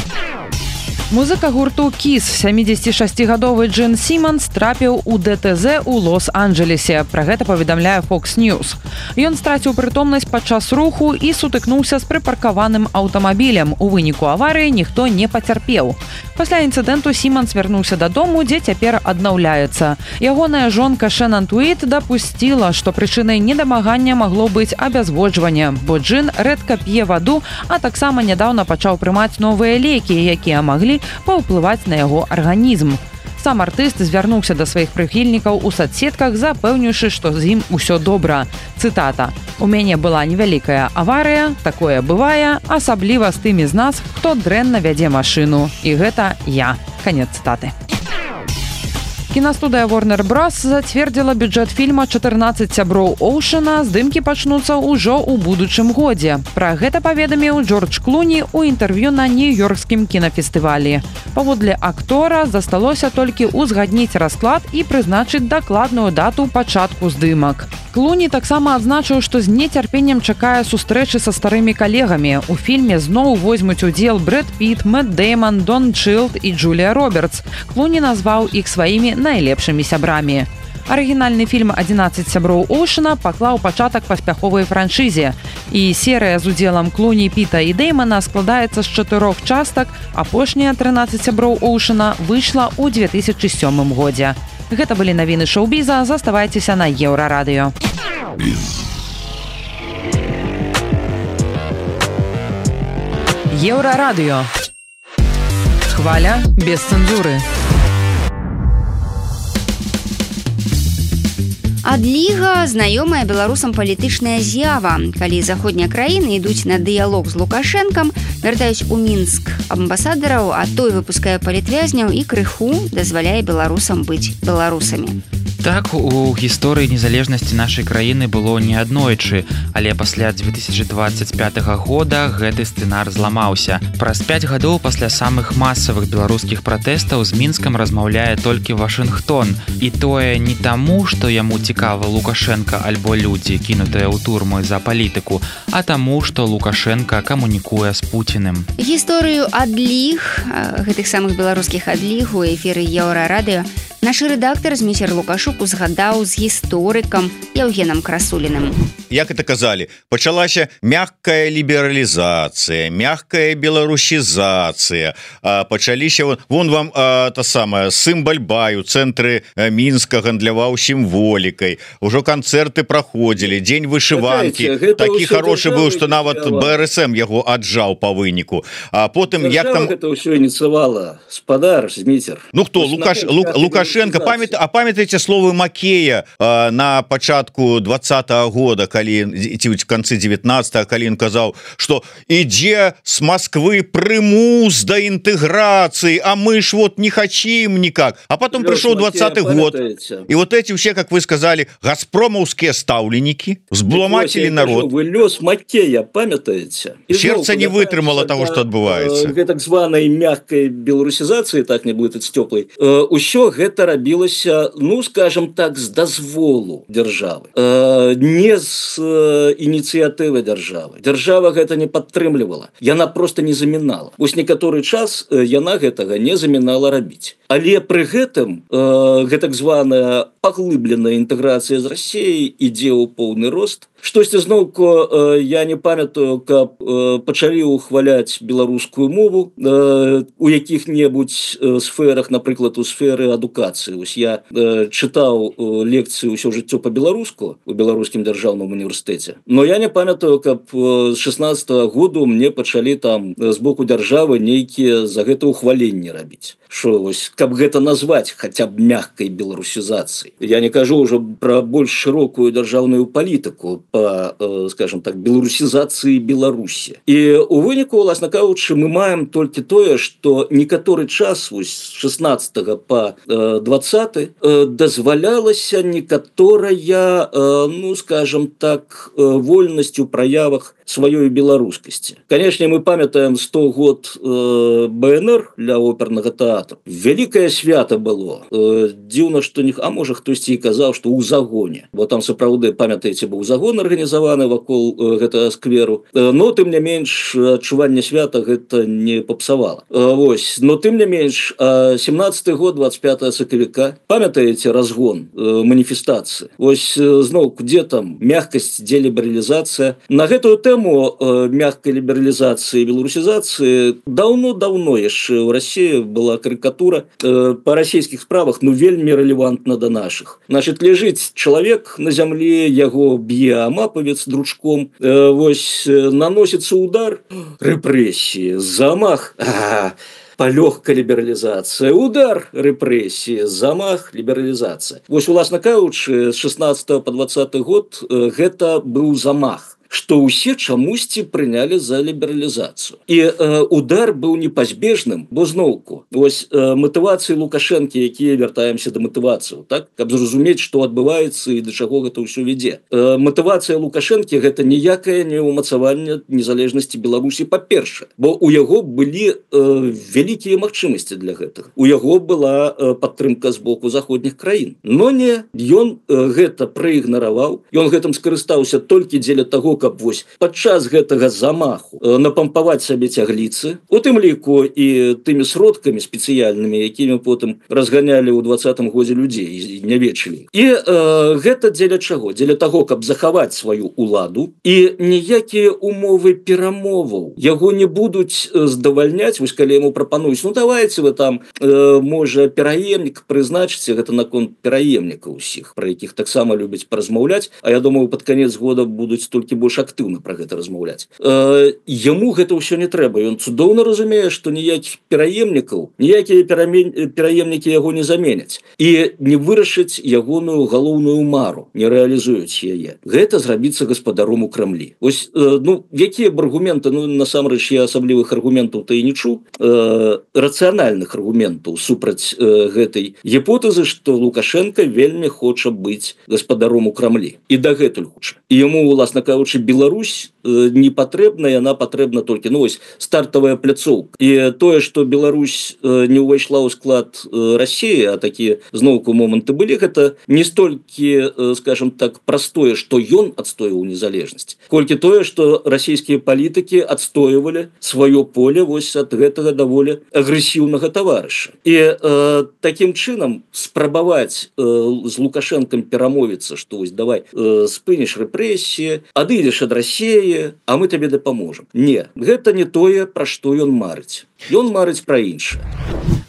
Музыка гурту Kiss, сямідзесятишасцігадовы Джин Сіманс, трапіў у дэ тэ зэ ў Лос-Анджелесе. Пра гэта паведамляе Fox News. Ён страціў прытомнасць падчас руху і сутыкнуўся з прыпаркаваным аўтамабілем. У выніку аварыі ніхто не пацярпеў. Пасля інцыдэнту Сіманс вярнуўся дадому, дзе цяпер аднаўляецца. Ягоная жонка Шэнан Туіт дапусціла, што прычынай недамагання магло быць абязводжванне, бо Джин рэдка п'е ваду, а таксама нядаўна пачаў прымаць новыя лекі, якія маглі паўплываць на яго арганізм. Сам артыст звярнуўся да сваіх прыхільнікаў у соцсетках, запэўніўшы, што з ім усё добра. Цытата: «У мяне была невялікая аварыя, такое бывае, асабліва з тымі з нас, хто дрэнна вядзе машыну. І гэта я». Канец цытаты. Кінастудыя Warner Bros. Зацвердзіла бюджэт фільма «чатырнаццаць сяброў Оушана». Здымкі пачнуцца ўжо ў будучым годзе. Пра гэта паведаміў Джордж Клуні ў інтэрв'ю на нью-йоркскім кінафестывалі. Паводле актора засталося толькі ўзгадніць расклад і прызначыць дакладную дату пачатку здымак. Клуні таксама адзначыў, што з нецярпеннем чакае сустрэчы са старымі калегамі. У фільме зноў возьмуць удзел Брэд Піт, Мэтт Дэйман, Дон Чилд і Джулія Робертс. Клуні назваў іх сваімі найлепшымі сябрамі. Арыгінальны фільм «адзінаццаць сяброў Оушана» паклаў пачатак паспяховай франшызе. І серыя з удзелам Клуні, Піта і Дэймана складаецца з чатырох частак. Апошняя «трынаццаць сяброў Оушана» выйшла ў две тысячы сёмым годзе. Гэта былі навіны шоу-біза. Заставайцеся на Еўрарадыё. Еўрарадыё. Хваля без цэнзуры. Адліга знаёмая беларусам палітычная з'ява. Калі заходнія краіны ідуць на дыялог з Лукашэнкам, вяртаюць у Мінск амбасадараў, а той выпускае палітвязняў і крыху дазваляе беларусам быць беларусамі. Так, у гісторыі незалежнасці нашай краіны было не аднойчы, але пасля две тысячи двадцать пятага года гэты сцэнар зламаўся. Праз пяць гадоў пасля самых масавых беларускіх пратэстаў з Мінскам размаўляе толькі Вашынгтон. І тое не таму, што яму цікава Лукашенка альбо людзі, кінутыя ў турму за палітыку, а таму, што Лукашенка камунікуе з Пуціным. Гісторыю адліг, гэтых самых беларускіх адліг у эфіры Еўрарадыё наш рэдактар Зміцер Лукашук узгадаў з гісторыкам Яўгенам Красуліным. Як это казалі, пачалася мягкая лібералізацыя, мягкая беларусізацыя, пачаліся вон, вон вам а, та самая Сымбальбай у цэнтры Мінска гандляваў сімволікай, ужо канцэрты праходзілі, дзень вышыванкі, такі хорошы быў, што нават бэ эр эс эм яго аджаў па выніку. А потым як там гэта ўсё ініцыявала спадар Зміцер. Ну хто Лукаш Лук, Лукашенко, памят, а памятаеце словы Макея а, на пачатку двадцатого года, калі ці в канцы девятнадцатого, калі ён казаў, што ідзе з Москвы прымус да інтэграцыі, а мы ж вот не хотим никак. А потом пришел двадцатый год, и вот эти все, как вы сказали, газпромовские ставленники взбломатили народ. Вы лёс Макея памятаете? Сердце не вытрымало того, что отбывается. Э, так званой мягкой белорусизации, так не будет с теплой, э, усё гэта рабілася, ну, скажем так, з дазволу дзяржавы. Э, не з э, ініцыятывы дзяржавы. Дзяржава гэта не падтрымлівала. Яна просто не замінала. Вось некаторы час э, яна гэтага не замінала рабіць. Але пры гэтым э, гэтак званая паглыбленая інтэграцыя з Расіяй ідзе ў поўны рост. Штосьці зноўку э, я не памятаю, каб э, пачалі ўхваляць беларускую мову э, у якіх-небудзь э, сферах, напрыклад, у сферы адукацыі. Вось я э, чытаў э, лекцыю ўсё жыццё па-беларуску у беларускім дзяржаўным універсітэце. Но я не памятаю, каб э, з шестнадцатого году мне пачалі там э, з боку дзяржавы нейкія за гэта ўхваленні рабіць. Шо, вось, каб гэта назваць хаця б мягкай беларусізацыяй. Я не кажу ўжо пра больш шырокую дзяржаўную палітыку по, скажем так, беларусізацыі Беларусі. І у выніку, уласна кажучы, мы маем толькі тое, што некаторы час вось з шестнадцатого по двадцаты дазвалялася некаторая, ну, скажем так, вольнасць у праявах сваёй беларускасці. Канешне, мы памятаем сто год э, БНР для опернага тэатра. Вялікае свята было. Э, дзіўна, што не... А можа, хтосьці і казаў, што ў загоне. Бо там, сапраўды, памятаеце, быў загон арганізаваны вакол э, гэтага скверу. Э, но, тым не менш, адчуванне свята гэта не попсавала. Э, вось. Но, тым не менш, э, семнадцаты год, двадцать пятого сакавіка, памятаеце разгон э, маніфестацыі? Вось, э, зноў, дзе там мягкасць, дзе лібералізацыя? На гэтую тэму э, мягкай лібералізацыі і беларусізацыі даўно-даўно яшчэ ў Расіі была карикатура э, па расійскіх справах, ну, вельмі рэлевантна да нашых. Значит, ляжыць чалавек на зямлі, яго б'е амапавец дручком, э, вось, наносіцца удар, рэпрэсіі, замах, а, палёгка лібералізацыя, удар, рэпрэсіі, замах, лібералізацыя. Вось, уласна кажучы, з шестнадцатого по двадцаты год э, гэта быў замах, што ўсе чамусьці прынялі за лібералізацыю. І э, удар быў непазбежным, бо зноўку, вось э, матывацыі Лукашэнкі, якія вяртаемся да матывацыю, так, каб зразумець, што адбываецца і да чаго гэта ўсё вядзе. Э, матывацыя Лукашэнкі гэта ніякае не ўмацаванне незалежнасці Беларусі, па-першае, бо у яго былі э, вялікія магчымасці для гэтага. У яго была э, падтрымка з боку заходніх краін. Но не, ён э, гэта праігнараваў, ён гэтым скарыстаўся толькі дзеля таго, каб вось падчас гэтага замаху э, напампаваць сабе цягліцы, у тым ліку і тымі сродкамі спецыяльнымі, якімі потым разганялі ў двадцатым годзе людзей і не вечылі. І э, гэта дзеля чаго? Дзеля таго, каб захаваць сваю уладу, і ніякія умовы перамоваў яго не будуць здавальняць. Вось калі яму прапануюць, ну давайте вы там э, можа пераемнік прызначыце, гэта наконт пераемніка ўсіх, пра якіх таксама любяць паразмаўляць, а я думаю, пад канец года будуць толькі больш актыўна пра гэта размаўляць. Э, яму гэта ўсё не трэба. Ён цудоўна разумее, што ніякіх пераемнікаў, ніякія пераемнікі яго не заменяць і не вырашыць ягоную галоўную мару, не рэалізуюць яе. Гэта зрабіцца гаспадаром у Крамлі. Ось, э, ну, якія б аргументы, ну, насамрэч, я асаблівых аргументаў то і не чуў, э, рацыянальных аргументаў супраць э, гэтай гіпотэзы, што Лукашенко вельмі хоча быць гаспадаром у Крамлі. І дагэтуль хоча. І яму, уласна кажучы, Беларусь э, не патрэбна, яна патрэбна толькі, ну, ось, стартавая пляцоўка. І тое, што Беларусь э, не ўвайшла ў склад э, Расіі, а такія зноўку моманты былі, гэта не столькі, э, скажем так, простое, што ён адстойваў незалежнасць, колькі тое, што расійскія палітыкі адстойвалі сваё поле вось ад гэтага даволі агрэсіўнага таварыша. І э, такім чынам спрабаваць э, з Лукашэнкам перамовіцца, што вось давай э, спыніш рэпрэсіі, адыдзеш ад Расіі, а мы табе дапаможам. Не, гэта не тое, пра што ён марыць. Ён марыць пра іншае.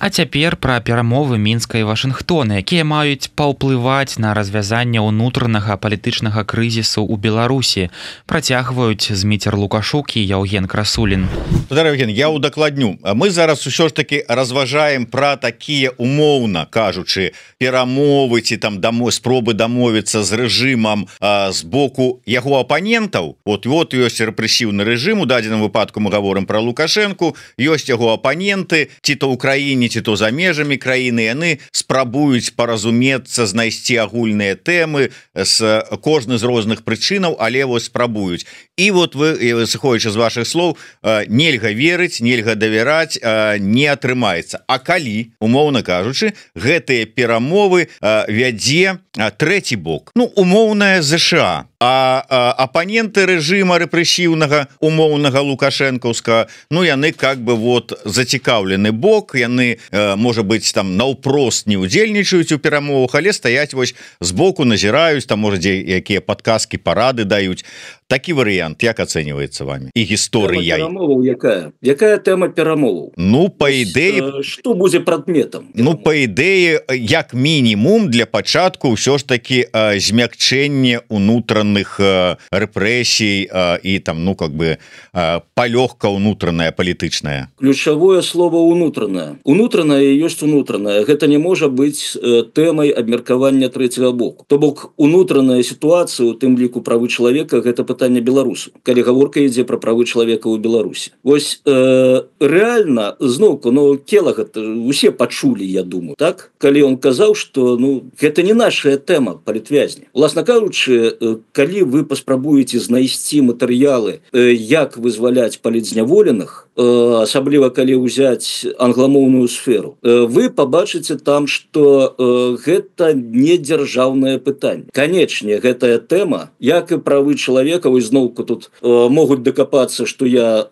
А цяпер пра перамовы Мінска і Вашынгтона, якія маюць паўплываць на развязанне ўнутранага палітычнага крызісу ў Беларусі, працягваюць Зміцер Лукашук і Яўген Красулін. Евген, я удакладню. Мы зараз усё ж таки разважаем пра такія, умоўна кажучы, перамовы ці там дамо спробы дамовіцца з рэжымам а, з боку яго апанентаў. Вот вот ёсць рэпрэсіўны рэжым, у дадзеным выпадку мы гаворым пра Лукашэнку, ёсць яго апаненты, ці то ў краіне, ці то за межамі краіны, яны спрабуюць паразумецца, знайсці агульныя тэмы з кожны з розных прычынаў, але вось спрабуюць. І вот вы, сыходзячы з вашых слоў, нельга верыць, нельга давяраць, не атрымаецца. А калі, умоўна кажучы, гэтыя перамовы вядзе трэці бок, ну, умоўная ЗША, а, а апаненты рэжыма рэпрэсіўнага умоўнага лукашэнкаўска, ну, яны как бы вот зацікаўлены бок, яны э, можа быць там наўпрост не удзельнічаюць у перамовах, але стаяць вось збоку, назіраюць, там можа дзе якія падказкі, парады даюць. Такі варыянт як ацэньваецца вами і гісторыя якая якая тэма перамоваў? Ну па ідэі што будзе прадметам? Ну па ідэі як мінімум для пачатку ўсё ж таки змякчэнне унутраных рэпрэсій і там ну как бы палёгка унутраная палітычная. Ключавое слово унутранае. Унутранае ёсць унутранае. Гэта не можа быць тэмай абмеркавання трэцяга боку. То бок унутраная сітуацыя, у тым ліку правы чалавека, гэта пытанне беларусу, калі гаворка ідзе пра правы чалавека ў Беларусі. Вось э, рэальна зноўку ну Келага усе пачулі, я думаю, так, калі он казаў, што ну гэта не наша тэма палітвязня. Уласна кажучы, калі вы паспрабуеце знайсці матэрыялы, як вызваляць палітзняволеных, асабліва калі ўзяць англамоўную сферу, вы пабачыце там, што гэта не дзяржаўнае пытанне. Канечне, гэтая тэма, як і правы чалавека, вось зноўку тут могуць дакапацца, што я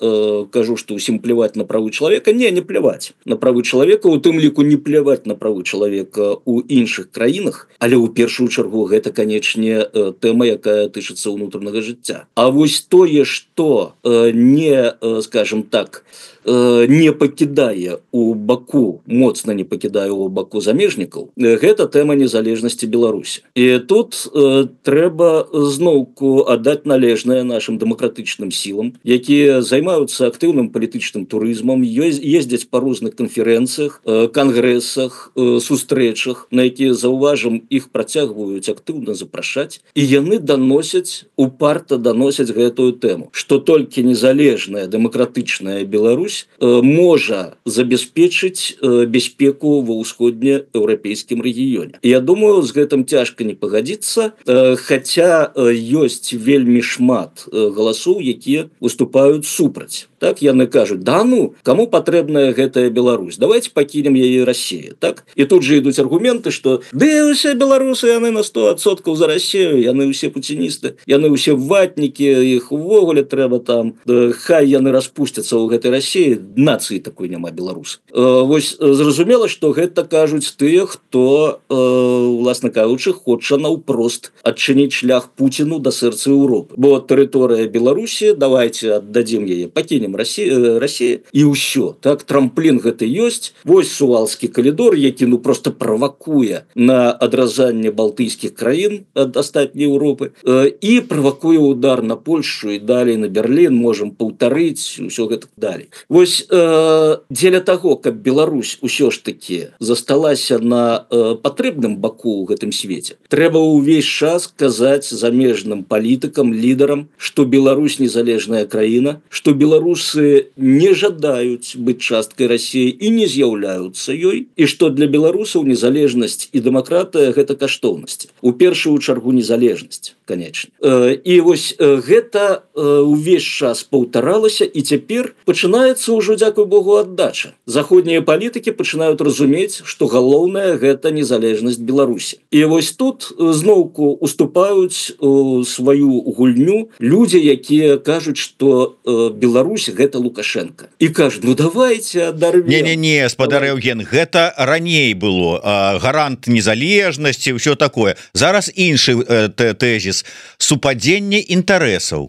кажу, што ўсім пляваць на правы чалавека. Не, не пляваць на правы чалавека, у тым ліку не пляваць на правы чалавека ў іншых краінах, але ў першую чаргу гэта, канечне, тэма, якая тычыцца ўнутранага жыцця. А вось тое, што не, скажем так, не пакідае у баку, моцна не пакідае у баку замежнікаў, гэта тэма незалежнасці Беларусі. І тут э, трэба зноўку аддаць належнае нашим дэмакратычным сілам, якія займаюцца актыўным палітычным турызмам, ездзяць па розных канферэнцыях, э, кангрэсах, э, сустрэчах, на якія, заўважым, іх працягваюць актыўна запрашаць, і яны даносяць, упарта даносяць гэтую тэму, што толькі незалежная дэмакратычная Беларусь можа забяспечыць бяспеку ва ўсходнееўрапейскім рэгіёне. Я думаю, з гэтым цяжка не пагадзіцца, хаця ёсць вельмі шмат галасоў, якія выступаюць супраць. Так, яны кажуць, да ну, каму патрэбная гэтая Беларусь? Давайте пакінем яе Расію. Так? І тут же ідуць аргументы, што ды ўсе беларусы, яны на сто адсоткаў за Расію, яны ўсе пуціністы, яны ўсе ватнікі, іх увогуле трэба там, хай яны распусцяцца ў гэтай Расіі, нацыі такой няма беларус. Вось зразумела, што гэта кажуць тыя, хто, уласна кажучы, хоча наўпрост адчыніць шлях Пуціну да сэрца Еўропы. Бо тэрыторыя Беларусі, давайте аддадзім яе, пакінем Расія, Расія і ўсё. Так, трамплін гэта ёсць. Вось Сувалскі калідор, які ну просто правакуе на адразанне балтыйскіх краін ад астатняй Еўропы і правакуе удар на Польшу і далей на Берлін, можам паўтарыць, усё гэта далей. Вось э, дзеля таго, каб Беларусь усё ж такі засталася на э, патрэбным баку ў гэтым свеце, трэба ўвесь час казаць замежным палітыкам, лідарам, што Беларусь незалежная краіна, што Беларусь не жадаюць быць часткай Расіі і не з'яўляюцца ёй, і што для беларусаў незалежнасць і дэмакратыя гэта каштоўнасці. У першую чаргу незалежнасць, канечне. І вось гэта ўвесь час паўтаралася, і цяпер пачынаецца ўжо, дзякуй Богу, аддача. Заходнія палітыкі пачынаюць разумець, што галоўнае гэта незалежнасць Беларусі. І вось тут зноўку уступаюць сваю гульню людзі, якія кажуць, што Беларусь гэта Лукашенко. І кажуць, ну давайте адарвем. Не-не-не, спадар Евген, гэта раней было. Гарант незалежнасці, ўсё такое. Зараз іншы тэзіс. Супадзенне інтарэсаў.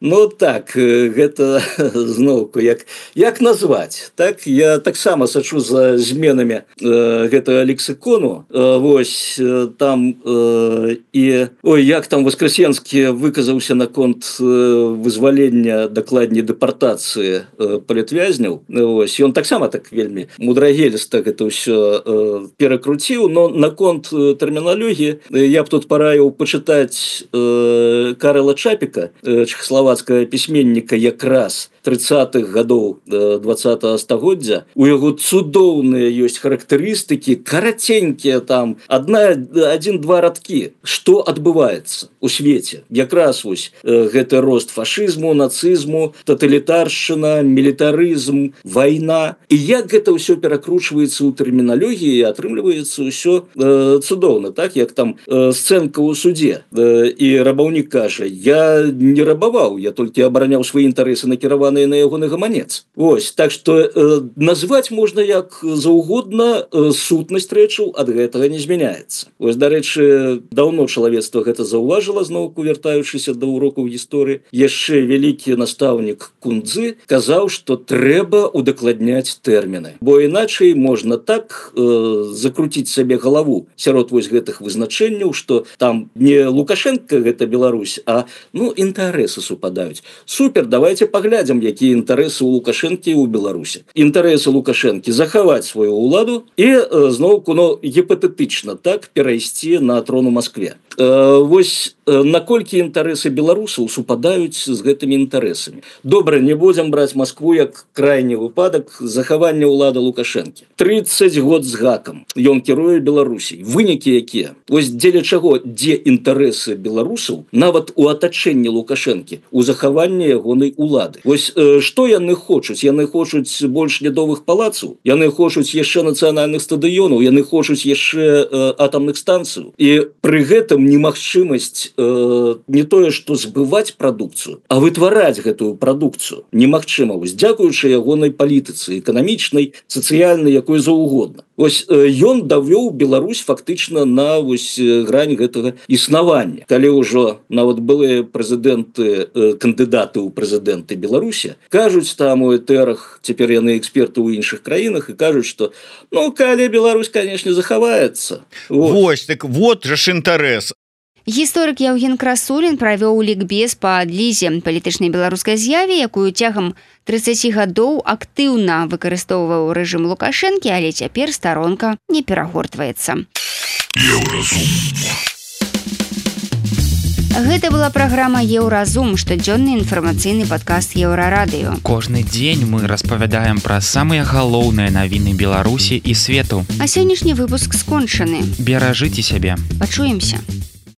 Ну так, гэта зноўку, як, як назваць? Так, я таксама сачу за зменамі э, гэтага лексікону. Э, вось, э, там э, і... Ой, як там Воскресенскі выказаўся наконт э, вызвалення, дакладней дэпартацыі э, палітвязняў. Вось, ён таксама так вельмі мудрагеліста гэта ўсё э, перакруціў, но наконт э, тэрміналогіі э, я б тут параіў пачытаць э, Карла Чапіка, э, чэхаславацкага пісьменніка якраз тридцатых гадоў двадцатага стагоддзя. У яго цудоўныя ёсць характарыстыкі, караценькія там, адна, адзін-два радкі. Што адбываецца у свеце? Якраз вось гэты рост фашызму, нацызму, таталітаршчына, мілітарызм, вайна. І як гэта ўсё перакручваецца ў тэрміналогіі, атрымліваецца ўсё э, цудоўна, так? Як там э, сцэнка ў судзе. Э, і рабаўнік кажа, я не рабаваў, я толькі абараняў свае інтарэсы накіраваны на ягоны гаманец. Вось, так што э, назваць можна як заўгодна, э, сутнасць рэчаў ад гэтага не змяняецца. Вось, дарэчы, даўно чалавецтва гэта заўважыла, зноўку вяртаючыся да урокаў гісторыі. Яшчэ вялікі настаўнік Кундзы казаў, што трэба удакладняць тэрміны. Бо іначай можна так э, закруціць сабе галаву сярод вось гэтых вызначэнняў, што там не Лукашенко гэта Беларусь, а ну інтарэсы супадаюць. Супер, давайте паглядзім, якія інтарэсы у Лукашэнкі ў Беларусі. Інтарэсы Лукашэнкі захаваць сваю ўладу і зноўку, ну, гіпатэтычна так перайсці на трон у Маскве. Э, вось наколькі інтарэсы беларусаў супадаюць з гэтымі інтарэсамі. Добра, не будзем браць Маскву як крайні выпадак захавання ўлады Лукашэнкі. тридцать год з гакам ён кіруе Беларусій. Вынікі якія? Вось дзеля чаго, дзе інтарэсы беларусаў нават у атачэнні Лукашэнкі, у захаванні ягонай улады. Вось э, што яны хочуць? Яны хочуць больш лядовых палацаў, яны хочуць яшчэ нацыянальных стадыёнаў, яны хочуць яшчэ э, атамных станцыяў. І пры гэтым немагчымасць э, не тое, што збываць прадукцыю, а вытвараць гэтую прадукцыю немагчыма. Вось дзякуючы ягонай палітыцы, эканамічнай, сацыяльнай, якой заўгодна. Вось э, ён давёў Беларусь фактычна на вось грань гэтага існавання. Калі ўжо нават былыя прэзідэнты, э, кандыдаты ў прэзідэнты Беларусі кажуць там у этэрах, цяпер яны эксперты ў іншых краінах і кажуць, што ну калі Беларусь, канешне, захаваецца. Вот. Вось, так вот жа ж інтарэс. Гісторык Яўген Красулін правёў лікбез па адлізе палітычнай беларускай з'яве, якую цягам тридцати гадоў актыўна выкарыстоўваў рэжым Лукашэнкі, але цяпер старонка не перагортваецца. Гэта была праграма «Еўразум», штодзённы інфармацыйны падкаст Еўрарадыё. Кожны дзень мы распавядаем пра самыя галоўныя навіны Беларусі і свету. А сённяшні выпуск скончаны. Беражыце сябе. Пачуемся.